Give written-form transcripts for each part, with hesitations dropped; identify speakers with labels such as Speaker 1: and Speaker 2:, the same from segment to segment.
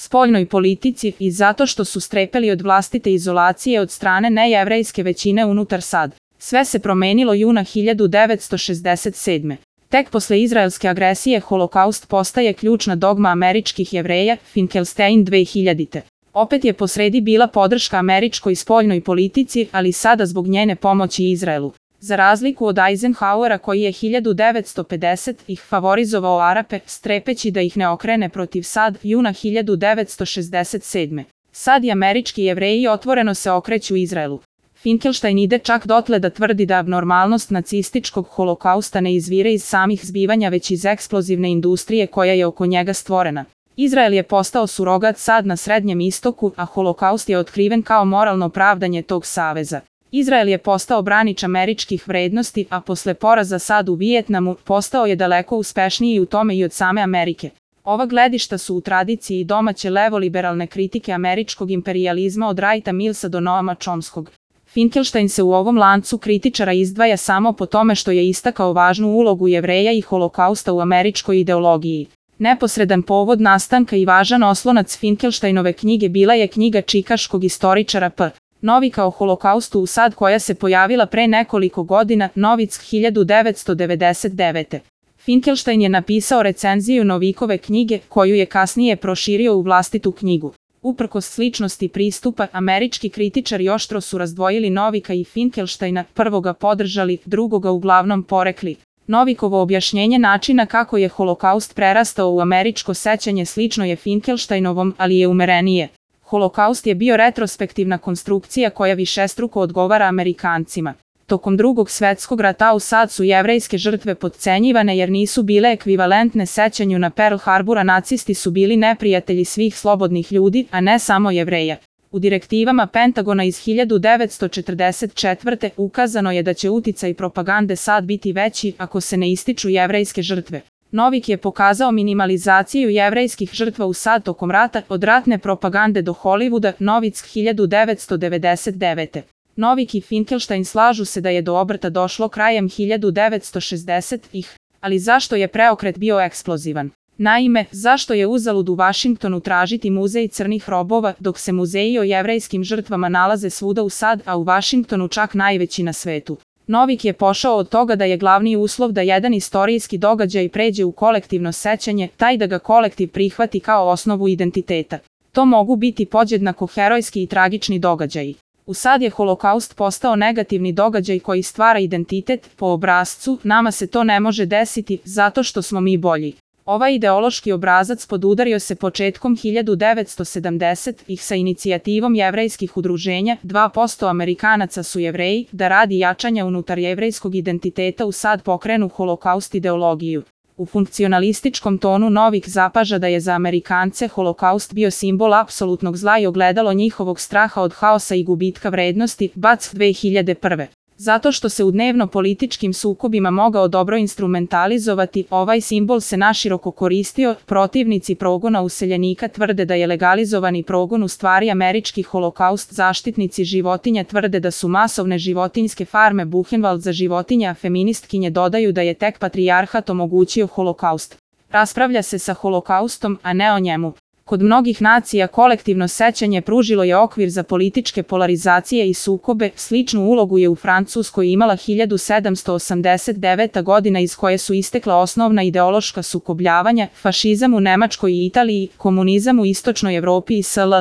Speaker 1: spoljnoj politici i zato što su strepeli od vlastite izolacije od strane nejevrejske većine unutar SAD. Sve se promenilo juna 1967. Tek posle izraelske agresije Holokaust postaje ključna dogma američkih Jevreja, Finkelstein 2000. Opet je posredi bila podrška američkoj spoljnoj politici, ali sada zbog njene pomoći Izraelu. Za razliku od Eisenhowera koji je 1950-ih favorizovao Arape, strepeći da ih ne okrene protiv SAD, juna 1967. SAD i američki Jevreji otvoreno se okreću Izraelu. Finkelstein ide čak dotle da tvrdi da abnormalnost nacističkog holokausta ne izvire iz samih zbivanja već iz eksplozivne industrije koja je oko njega stvorena. Izrael je postao surogat SAD na Srednjem istoku, a holokaust je otkriven kao moralno pravdanje tog saveza. Izrael je postao branič američkih vrednosti, a posle poraza SAD u Vijetnamu postao je daleko uspešniji u tome i od same Amerike. Ova gledišta su u tradiciji domaće levoliberalne kritike američkog imperijalizma od Wrighta Millsa do Noama Chomskog. Finkelstein se u ovom lancu kritičara izdvaja samo po tome što je istakao važnu ulogu Jevreja i holokausta u američkoj ideologiji. Neposredan povod nastanka i važan oslonac Finkelsteinove knjige bila je knjiga čikaškog istoričara P. Novika o holokaustu u SAD koja se pojavila pre nekoliko godina, Novick 1999. Finkelstein je napisao recenziju Novikove knjige, koju je kasnije proširio u vlastitu knjigu. Uprkos sličnosti pristupa, američki kritičari oštro su razdvojili Novika i Finkelsteina, prvoga podržali, drugoga uglavnom porekli. Novikovo objašnjenje načina kako je holokaust prerastao u američko sećanje slično je Finkelsteinovom, ali je umerenije. Holokaust je bio retrospektivna konstrukcija koja višestruko odgovara Amerikancima. Tokom Drugog svetskog rata u SAD su jevrejske žrtve potcenjivane jer nisu bile ekvivalentne sećanju na Pearl Harbor, a nacisti su bili neprijatelji svih slobodnih ljudi, a ne samo Jevreja. U direktivama Pentagona iz 1944. ukazano je da će uticaj propagande SAD biti veći ako se ne ističu jevrejske žrtve. Novik je pokazao minimalizaciju jevrejskih žrtva u SAD tokom rata, od ratne propagande do Hollywooda, Novick 1999. Novik i Finkelstein slažu se da je do obrta došlo krajem 1960-ih, ali zašto je preokret bio eksplozivan? Naime, zašto je uzalud u Vašingtonu tražiti muzej crnih robova, dok se muzeji o jevrejskim žrtvama nalaze svuda u SAD, a u Vašingtonu čak najveći na svetu? Novik je pošao od toga da je glavni uslov da jedan istorijski događaj pređe u kolektivno sećanje, taj da ga kolektiv prihvati kao osnovu identiteta. To mogu biti podjednako herojski i tragični događaji. U SAD je holokaust postao negativni događaj koji stvara identitet, po obrascu, nama se to ne može desiti, zato što smo mi bolji. Ovaj ideološki obrazac podudario se početkom 1970-ih sa inicijativom jevrejskih udruženja, 2% Amerikanaca su Jevreji, da radi jačanja unutar jevrejskog identiteta u SAD pokrenu holokaust ideologiju. U funkcionalističkom tonu Novik zapaža da je za Amerikance holokaust bio simbol apsolutnog zla i ogledalo njihovog straha od haosa i gubitka vrednosti, Bac 2001. Zato što se u dnevno-političkim sukobima mogao dobro instrumentalizovati, ovaj simbol se naširoko koristio. Protivnici progona useljenika tvrde da je legalizovani progon u stvari američki holokaust, zaštitnici životinja tvrde da su masovne životinjske farme Buchenwald za životinje, a feministkinje dodaju da je tek patrijarhat omogućio holokaust. Raspravlja se sa holokaustom, a ne o njemu. Kod mnogih nacija kolektivno sećanje pružilo je okvir za političke polarizacije i sukobe, sličnu ulogu je u Francuskoj imala 1789. godina iz koje su istekla osnovna ideološka sukobljavanja, fašizam u Nemačkoj i Italiji, komunizam u istočnoj Evropi i sl.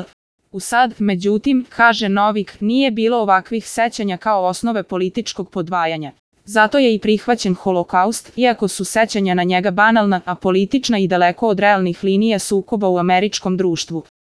Speaker 1: U SAD, međutim, kaže Novik, nije bilo ovakvih sećanja kao osnove političkog podvajanja. Zato je i prihvaćen holokaust, iako su sećanja na njega banalna, apolitična i daleko od realnih linija sukoba u američkom društvu.